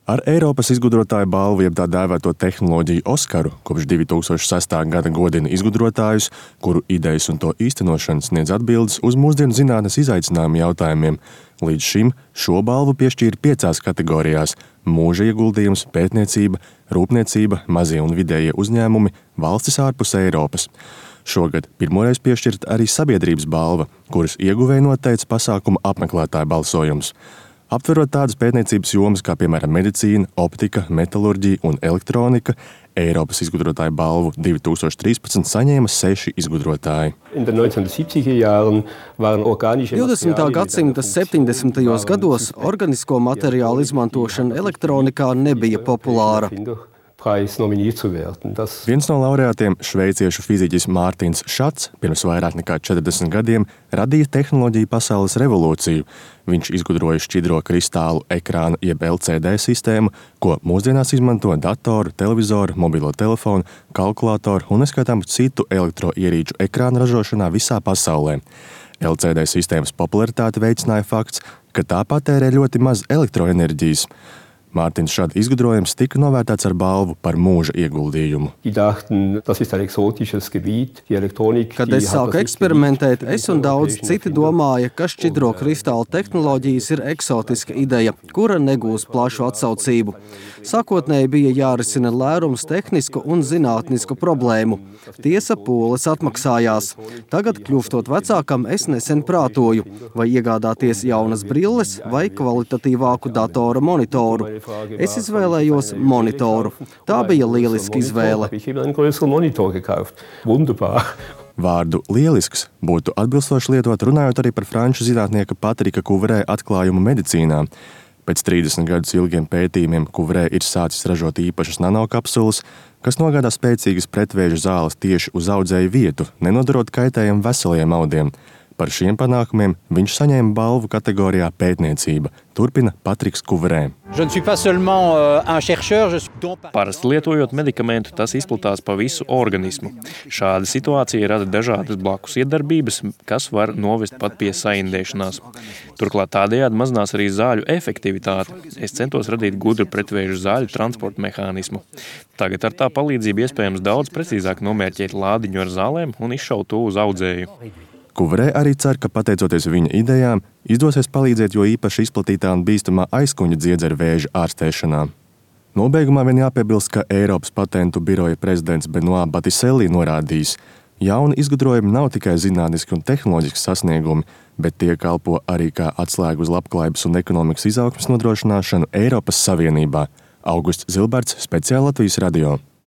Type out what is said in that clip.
Ar Eiropas izgudrotāju balvu, jeb tā dēvēto tehnoloģiju Oskaru, kopš 2006. gada godina izgudrotājus, kuru idejas un to īstenošana sniedz atbildes uz mūsdienu zinātnes izaicinājumu jautājumiem. Līdz šim šo balvu piešķīra 5 kategorijās – mūža ieguldījums, pētniecība, rūpniecība, mazie un vidējie uzņēmumi, valstis ārpus Eiropas. Šogad pirmoreiz piešķirta arī sabiedrības balva, kuras ieguvēja noteica pasākuma apmeklētāju balsojums. Aptverot tādas pētniecības jomas kā, piemēram, medicīna, optika, metalurģija un elektronika, Eiropas izgudrotāju balvu 2013 saņēma 6 izgudrotāji. 20. gadsimta 70. gados organisko materiālu izmantošana elektronikā nebija populāra. Viens no laureātiem, šveiciešu fiziķis Mārtiņš Šats, pirms vairāk nekā 40 gadiem radīja tehnoloģiju pasaules revolūciju. Viņš izgudroja šķidro kristālu ekrānu jeb LCD sistēmu, ko mūsdienās izmanto datoru, televizoru, mobilo telefonu, kalkulātoru un neskaitāmu citu elektroierīču ekrānu ražošanā visā pasaulē. LCD sistēmas popularitāti veicināja fakts, ka tā patērē ļoti maz elektroenerģijas. Mārtiņš Šada izgudrojums tika novērtēts ar balvu par mūža ieguldījumu. Kad es sāku eksperimentēt, es un daudz citi domāja, ka šķidro kristālu tehnoloģijas ir eksotiska ideja, kura negūs plašu atsaucību. Sākotnēji bija jārisina lērums tehnisku un zinātnisku problēmu. Tiesa pūles atmaksājās. Tagad, kļūstot vecākam, es nesen prātoju, vai iegādāties jaunas brilles vai kvalitatīvāku datora monitoru. Es izvēlējos monitoru. Tā bija lieliska izvēle. Vārdu lielisks būtu atbilstoši lietot runājot arī par franču zinātnieka Patrika Kuvrē atklājumu medicīnā. Pēc 30 gadus ilgiem pētījumiem Kuvrē ir sācis ražot īpašas nanokapsulas, kas nogādā spēcīgas pretvēža zāles tieši uz audzēju vietu, nenodarot kaitējumu veseliem audiem. Par šiem panākumiem viņš saņēma balvu kategorijā pētniecība, turpina Patriks Kuvrē. Parasti lietojot medikamentu, tas izplatās pa visu organismu. Šāda situācija rada dažādas blakus iedarbības, kas var novest pat pie saindēšanās. Turklāt tādējādi mazinās arī zāļu efektivitāte. Es centos radīt gudru pretvēžu zāļu transporta mehānismu. Tagad ar tā palīdzību iespējams daudz precīzāk nomērķēt lādiņu ar zālēm un izšaut to uz audzēju. Kuvrē arī cer, ka pateicoties viņa idejām, izdosies palīdzēt jo īpaši izplatītā un bīstamā aizkuņa dziedzeru vēža ārstēšanā. Nobeigumā vien jāpiebilst, ka Eiropas patentu biroja prezidents Benoît Batiselli norādījis, jauni izgudrojumi nav tikai zinātniski un tehnoloģiski sasniegumi, bet tie kalpo arī kā atslēgu uz labklājības un ekonomikas izaugsmes nodrošināšanu Eiropas Savienībā. Augusts Zilberts, Speciāli Latvijas radio.